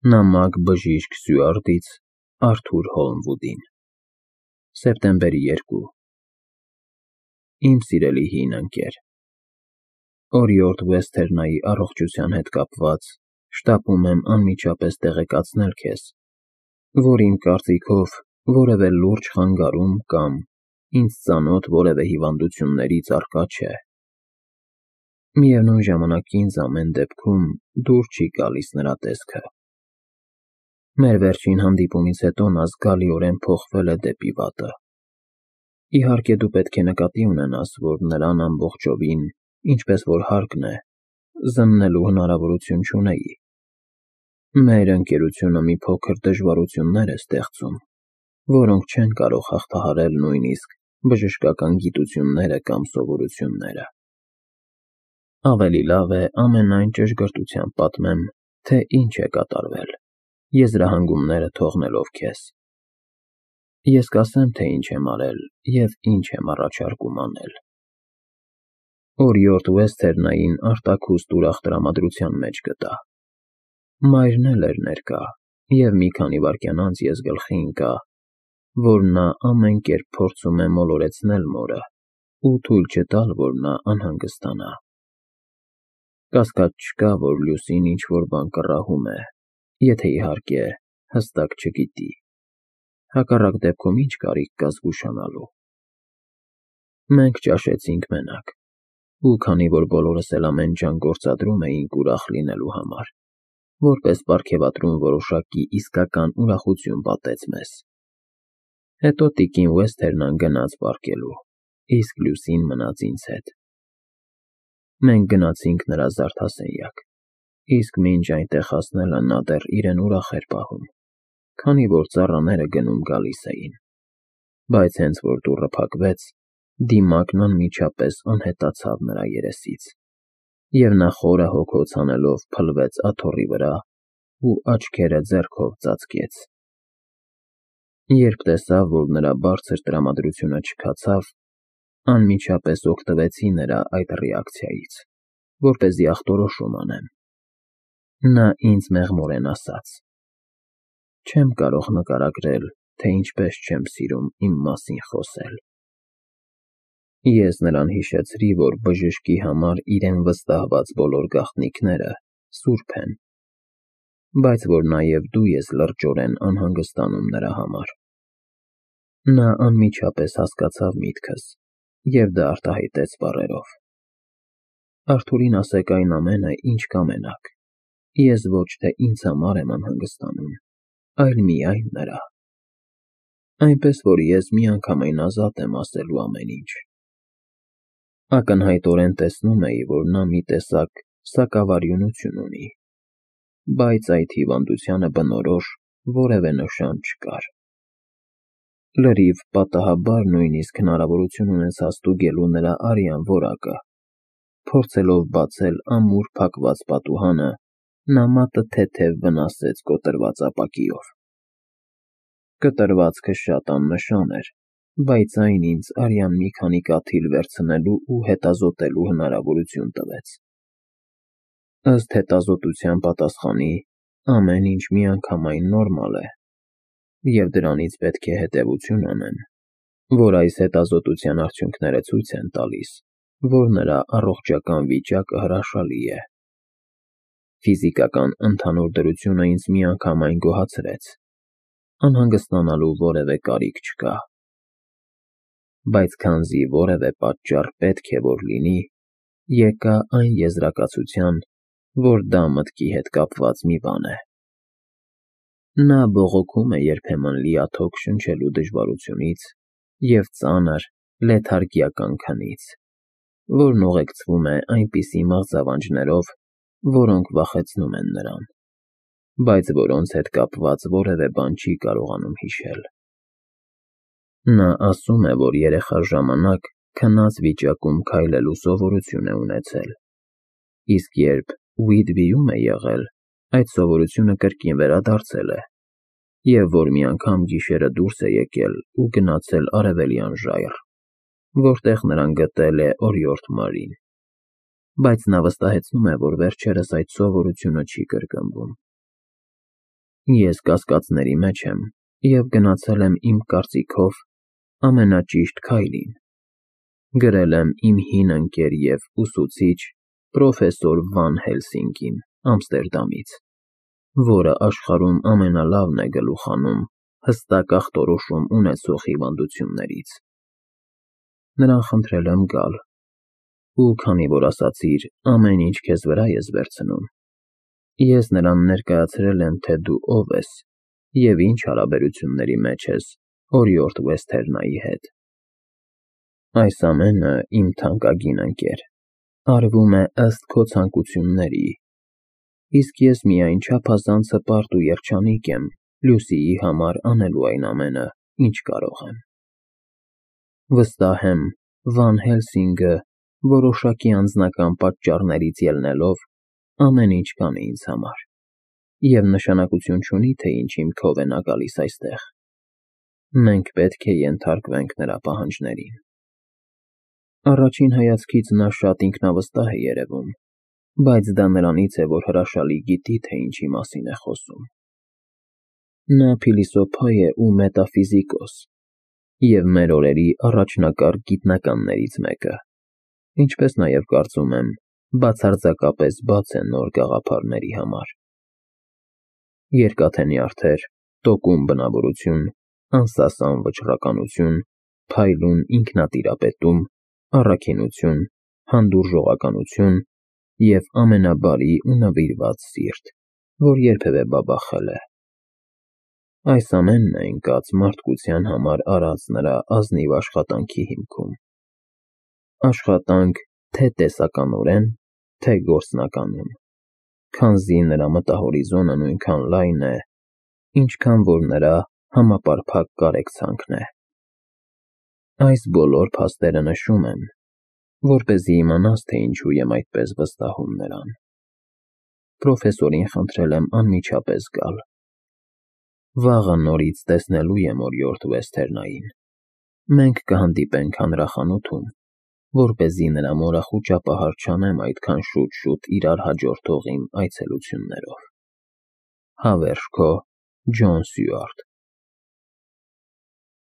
Նամակ բժիշկ Սյուարտից Արթուր Հոլմվուդին Սեպտեմբերի 2 Իմ սիրելի հին ընկեր, Օրիորդ Վեսթերնայի առողջության հետ կապված շտապում եմ անմիջապես տեղեկացնել քեզ, որ իմ կարծիքով որևէ լուրջ խանգարում կամ ինձ ծանոթ որևէ հիվանդություններից առկա չէ։ Միևնույն ժամանակ ինձ ամեն դեպքում դուր չի գալիս նրա տեսքը։ Մեր վերջին հանդիպումից հետո նա զգալիորեն փոխվել է դեպի վատը։ Իհարկե դու պետք է նկատի ունենաս, որ նրան ամբողջովին, ինչպես որ հարկն է, զննելու հնարավորություն չունեի։ Մեր ընկերությունը մի փոքր դժվարություններ է ստեղծում, որոնք չեն կարող հաղթահարել նույնիսկ բժշկական գիտությունները կամ սովորությունները։ Ավելի լավ է ամենայն ճշգրտությամբ պատմեմ, թե ինչ է կատարվել, եզրահանգումները թողնելով քեզ։ Ես կասեմ, թե ինչ եմ արել և ինչ եմ առաջարկում անել։ Օրիորդ Վեսթերնային արտաքուստ ուրախ տրամադրության մեջ գտա։ Մայրն էլ էր ներկա, և մի քանի վայրկյան անց ես գլխի ընկա, որ նա ամեն կերպ փորձում է մոլորեցնել մորը ու թույլ չտալ, որ նա անհանգստանա։ Կասկած չկա, որ Լուսին ինչ-որ բան կռահում է, եթե իհարկե հստակ չգիտի։ Հակառակ դեպքում ինչ կարիք կա զգուշանալու։ Մենք ճաշեցինք մենակ, ու քանի որ բոլորս էլ ամեն ջան գործադրում էինք ուրախ լինելու համար, որպես պարգևատրում որոշակի իսկական ուրախություն պատեց մեզ։ Հետո տիկին Վեսթերնան գնաց պառկելու, իսկ Լուսին մնաց ինձ հետ։ Մենք գնացինք նրա զարդասենյակ, իսկ մինչ այնտեղ հասնելը նա դեռ իրեն ուրախ էր պահում, քանի որ ծառաները գնում-գալիս էին, բայց հենց որ դուռը փակվեց, դիմակն անմիջապես անհետացավ նրա երեսից, և նա խորը հոգոց հանելով փլվեց աթոռի վրա ու աչքերը ձեռքով ծածկեց։ Երբ տեսավ, որ նրա բարձր տրամադրությունը չքացավ, անմիջապես օգտվեցի նրա այդ ռեակցիայից, որպեսզի ախտորոշում անեմ։ Նա ինձ մեղմորեն ասաց. «Չեմ կարող նկարագրել, թե ինչպես չեմ սիրում իմ մասին խոսել»։ Ես նրան հիշեցրի, որ բժշկի համար իրեն վստահված բոլոր գաղտնիքները սուրբ են, բայց որ նաև դու ես լրջորեն անհանգստանում նրա համար։ Նա անմիջապես հասկացավ միտքս և դա արտահայտեց բառերով. «Արթուրին ասեք այն ամենը, ինչ կամենաք, ես ոչ թե ինձ համար եմ անհանգստանում, այլ միայն նրա։ Այնպես որ ես միանգամայն ազատ եմ ասելու ամեն ինչ»։ Ակնհայտորեն տեսնում էի, որ նա մի տեսակ սակավարյունություն ունի, բայց այդ հիվանդությանը բնորոշ որևէ նշան չկար։ Լրիվ պատահաբար նույնիսկ հնարավորություն ունեցա ստուգելու նրա արյան որակը, փորձելով բացել ամուր փակված պատուհանը, նա մատը թեթև վնասեց կոտրված ապակիով։ Կտրվածքը շատ աննշան էր, բայց այն ինձ արյան մի քանի կաթիլ վերցնելու ու հետազոտելու հնարավորություն տվեց։ Ըստ հետազոտության պատասխանի, ամեն ինչ միանգամայն նորմալ է, և դրանից պետք է հետևություն անեմ, որ այս հետազոտության արդյունքները ցույց են տալիս, որ նրա առողջական վիճակը հրաշալի է։ Ֆիզիկական ընդհանուր դրությունը ինձ միանգամայն գոհացրեց, անհանգստանալու որևէ կարիք չկա։ Բայց քանզի որևէ պատճառ պետք է որ լինի, եկա այն եզրակացության, որ դա մտքի հետ կապված մի բան է։ Նա բողոքում է երբեմն լիաթոք շնչելու դժվարությունից և ծանր, լեթարգիական քնից, որն ուղեկցվում է այնպիսի մղձավանջներով, որոնք վախեցնում են նրան, բայց որոնց հետ կապված որևէ բան չի կարողանում հիշել։ Նա ասում է, որ երեխա ժամանակ քնած վիճակում քայլելու սովորություն է ունեցել, իսկ երբ Ուհիդվիում է եղել, այդ սովորությունը կրկին վերադարձել է, և որ մի անգամ գիշերը դուրս է եկել ու գնացել Արևելյան ժայռ, որտեղ նրան գտել է օրիորդ Մարին, բայց նա վստահեցնում է, որ վերջերս այդ սովորությունը չի կրկնվում։ Ես կասկածների մեջ եմ և գնացել եմ իմ կարծիքով ամենաճիշտ քայլին։ Գրել եմ իմ հին ընկեր և ուսուցիչ պրոֆեսոր Վան Հելսինգին Ամստերդամից, որը աշխարհում ամենալավն է գլուխ հանում հստակ ախտորոշում ունեցող հիվանդություններից։ Նրան խնդրել եմ գալ, ու քանի որ ասացիր ամեն ինչ քեզ վրա ես վերցնում, ես նրան ներկայացրել եմ, թե դու ով ես և ինչ հարաբերությունների մեջ ես օրիորդ Վեսթերնայի հետ։ Այս ամենը, իմ թանկագին ընկեր, արվում է ըստ քո ցանկությունների, իսկ ես միայն չափազանց հպարտ ու երջանիկ եմ Լուսիի համար անելու այն ամենը, ինչ կարող եմ։ Վստահ եմ, Վան Հելսինգը որոշակի անձնական պատճառներից ելնելով ամեն ինչ կանի ինձ համար, և նշանակություն չունի, թե ինչ հիմքով է նա գալիս այստեղ։ Մենք պետք է ենթարկվենք նրա պահանջներին։ Առաջին հայացքից նա շատ ինքնավստահ է երևում, բայց դա նրանից է, որ հրաշալի գիտի, թե ինչի մասին է խոսում։ Նա փիլիսոփա է ու մետաֆիզիկոս և մեր օրերի առաջնակարգ գիտնականներից մեկը, ինչպես նաև, կարծում եմ, բացարձակապես բաց է նոր գաղափարների համար։ Երկաթե նյարդեր, տոկուն բնավորություն, անսասան վճռականություն, փայլուն ինքնատիրապետում, առաքինություն, հանդուրժողականություն և ամենաբարի ու նվիրված սիրտ, որ երբևէ բաբախել է։ Այս ամենն է ընկած մարդկության համար արած նրա ազնիվ աշխատանքի հիմքում։ Աշխատանք թե տեսականորեն, թե գործնականում, քանզի նրա մտահորիզոնը նույնքան լայն է, ինչքան որ նրա համապարփակ կարեկցանքն է։ Այս բոլոր փաստերը նշում եմ, որպեսզի իմանաս, թե ինչու եմ այդպես վստահում նրան։ Պրոֆեսորին խնդրել եմ անմիջապես գալ։ Վաղը նորից տեսնելու եմ օրիորդ Վեսթերնային։ Մենք կհանդիպենք հանրախանութում, որպեսզի նրա մորախուճ ճապահար չանեմ այդքան շուտ իրար հաջորդող իմ այցելություններով։ Հավերժ քո Ջոն Սյուարտ։